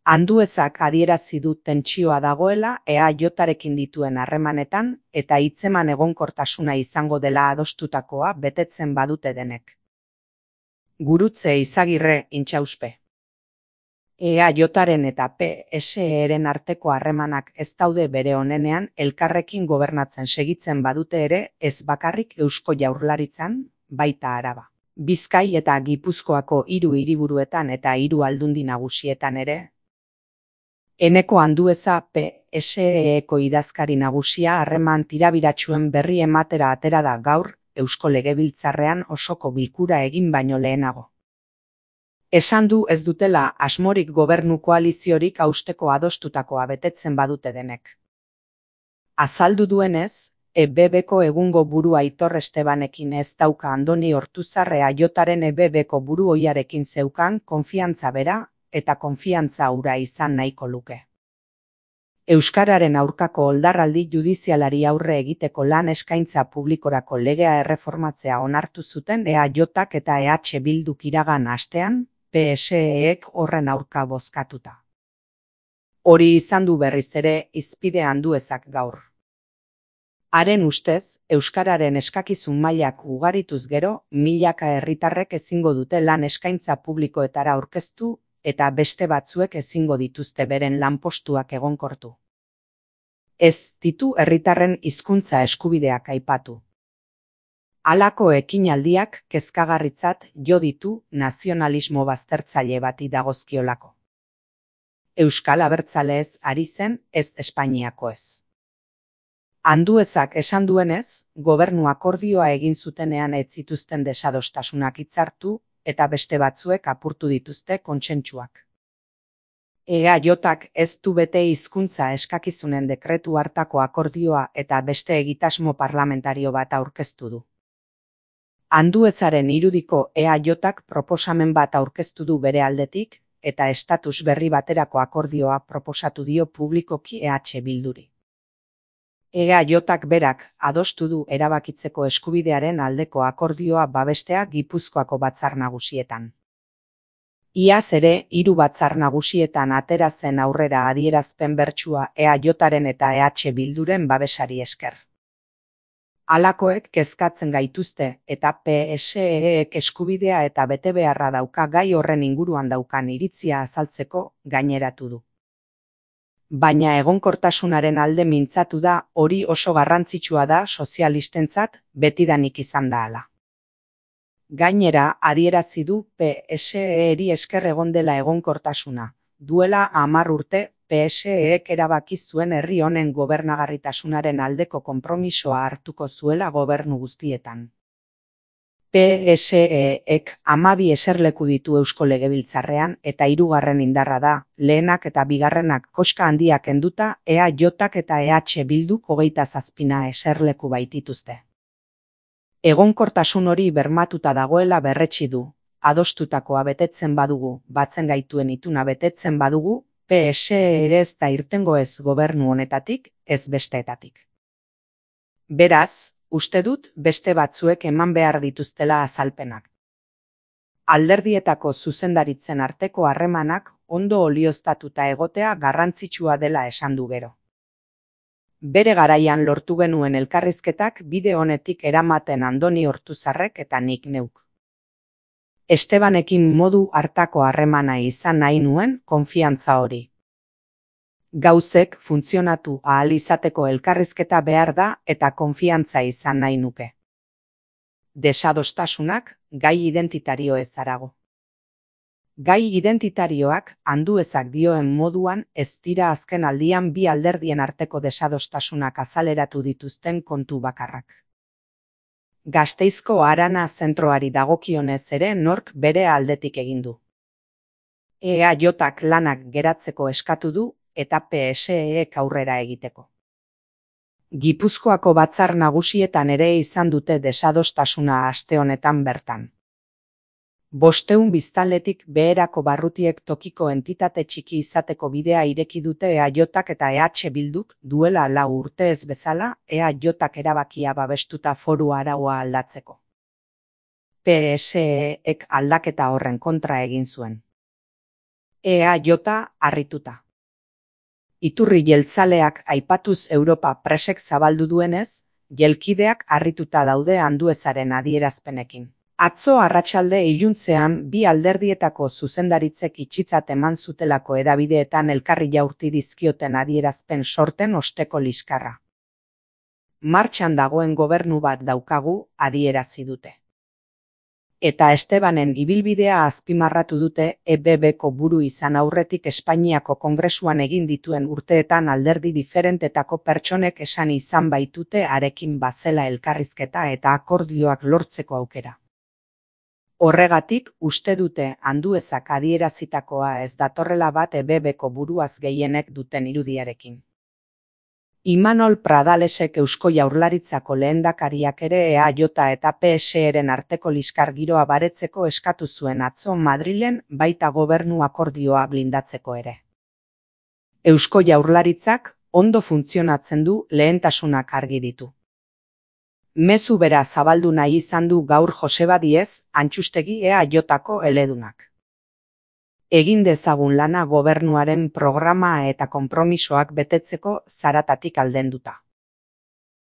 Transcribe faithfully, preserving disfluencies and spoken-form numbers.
Anduezak adierazi du tentsioa dagoela E A J-arekin dituen harremanetan eta hitzeman egonkortasuna izango dela adostutakoa betetzen badute denek. Gurutze Izagirre, Intxauspe. E A J-aren eta P S E-ren arteko harremanak ez daude bere onenean elkarrekin gobernatzen segitzen badute ere ez bakarrik Eusko Jaurlaritzan, baita Araba, Bizkai eta Gipuzkoako hiru hiriburuetan eta hiru aldundi nagusietan ere. Eneko Andueza P S E-eko idazkari nagusia harreman tirabiratsuen berri ematera atera da gaur Eusko Legebiltzarrean osoko bilkura egin baino lehenago. Esan du ez dutela asmorik gobernu koaliziorik hausteko adostutakoa betetzen badute denek. Azaldu duenez, E B B-ko egungo buru Aitor Estebanekin ez dauka Andoni Ortuzar E A J-aren E B B-ko buru ohiarekin zeukan konfiantza bera eta konfiantza hura izan nahiko luke. Euskararen aurkako oldarraldi judizialari aurre egiteko lan eskaintza publikorako legea erreformatzea onartu zuten E A J-ak eta E H Bilduk iragan astean, P S E-ek horren aurka bozkatuta. Hori izan du berriz ere hizpide Anduezak gaur. Haren ustez, euskararen eskakizun mailak ugarituz gero, milaka herritarrek ezingo dute lan eskaintza publikoetara aurkeztu eta beste batzuek ezingo dituzte beren lanpostuak egonkortu. Ez ditu herritarren hizkuntza eskubideak aipatu. Halako ekinaldiak kezkagarritzat jo ditu nazionalismo baztertzaile bati dagozkiolako. Euskal Abertzaleez ari zen, ez Espainiako ez. Anduezak esan duenez, gobernu akordioa egin zutenean ez zituzten desadostasunak hitzartu eta beste batzuek apurtu dituzte kontsentsuak. E A J-ak ez du bete hizkuntza eskakizunen dekretu hartako akordioa eta beste egitasmo parlamentario bat aurkeztu du. Anduezaren irudiko E A J-ak proposamen bat aurkeztu du bere aldetik eta estatus berri baterako akordioa proposatu dio publikoki E H Bilduri. E A J-ak berak adostu du erabakitzeko eskubidearen aldeko akordioa babestea Gipuzkoako batzar nagusietan. Iaz ere, hiru batzar nagusietan atera zen aurrera adierazpen bertsua E A J-aren eta E H Bilduren babesari esker. Halakoek kezkatzen gaituzte eta P S E-ek eskubidea eta betebeharra dauka gai horren inguruan daukan iritzia azaltzeko gaineratu du. Baina egonkortasunaren alde mintzatu da hori oso garrantzitsua da sozialistentzat betidanik izan da hala. Gainera, adierazi du P S E-eri esker egon dela egonkortasuna. Duela hamar urte, P S E-ek erabaki zuen herri honen gobernagarritasunaren aldeko konpromisoa hartuko zuela gobernu guztietan. P S E-ek hamabi eserleku ditu Eusko Legebiltzarrean eta hirugarren indarra da, lehenak eta bigarrenak koska handiak kenduta E A J-ak eta E H Bilduk hogeita zazpina eserleku baitituzte. Egonkortasun hori bermatuta dagoela berretsi du, adostutakoa betetzen badugu, batzen gaituen ituna betetzen badugu, P S E ere ez da irtengo ez gobernu honetatik, ez besteetatik. Beraz, uste dut beste batzuek eman behar dituztela azalpenak. Alderdietako zuzendaritzen arteko harremanak ondo olioztatuta egotea garrantzitsua dela esan du gero. Bere garaian lortu genuen elkarrizketak bide honetik eramaten Andoni Ortuzarrek eta nik neuk. Estebanekin modu hartako harremana izan nahi nuen konfiantza hori. Gauzek funtzionatu ahal izateko elkarrizketa behar da eta konfiantza izan nahi nuke. Desadostasunak gai identitario ez harago. Gai identitarioak Anduezak dioen moduan ez dira azken aldian bi alderdien arteko desadostasunak azaleratu dituzten kontu bakarrak. Gasteizko Arana zentroari dagokionez ere nork bere aldetik egin du. E A J-ak lanak geratzeko eskatu du eta P S E-ek aurrera egiteko. Gipuzkoako batzar nagusietan ere izan dute desadostasuna aste honetan bertan. Bosteun biztanletik beherako barrutiek tokiko entitate txiki izateko bidea ireki dute E A J-ak eta E H Bilduk duela lau urte ez bezala E A J-ak erabakia babestuta foru araua aldatzeko. P S E-ek aldaketa horren kontra egin zuen. E A J harrituta. Iturri jeltzaleak aipatuz Europa Presek zabaldu duenez, jelkideak harrituta daude Anduezaren adierazpenekin. Atzo arratsalde iluntzean bi alderdietako zuzendaritzek itxitzat eman zutelako hedabideetan elkarri jaurti dizkioten adierazpen sorten osteko liskarra. Martxan dagoen gobernu bat daukagu, adierazi dute. Eta Estebanen ibilbidea azpimarratu dute E B B-ko buru izan aurretik Espainiako Kongresuan egin dituen urteetan alderdi diferentetako pertsonek esan izan baitute harekin bazela elkarrizketa eta akordioak lortzeko aukera. Horregatik, uste dute Anduezak adierazitakoa ez datorrela bat E B B-ko buruaz gehienek duten irudiarekin. Imanol Pradalesek Eusko Jaurlaritzako lehendakariak ere E A J eta P S E-ren arteko liskar giroa baretzeko eskatu zuen atzo Madrilen, baita gobernu akordioa blindatzeko ere. Eusko Jaurlaritzak ondo funtzionatzen du, lehentasunak argi ditu. Mezu bera zabaldu nahi izan du gaur Joseba Diez, Antxustegi E A J-ko eledunak. Egin dezagun lana gobernuaren programa eta konpromisoak betetzeko zaratatik aldenduta.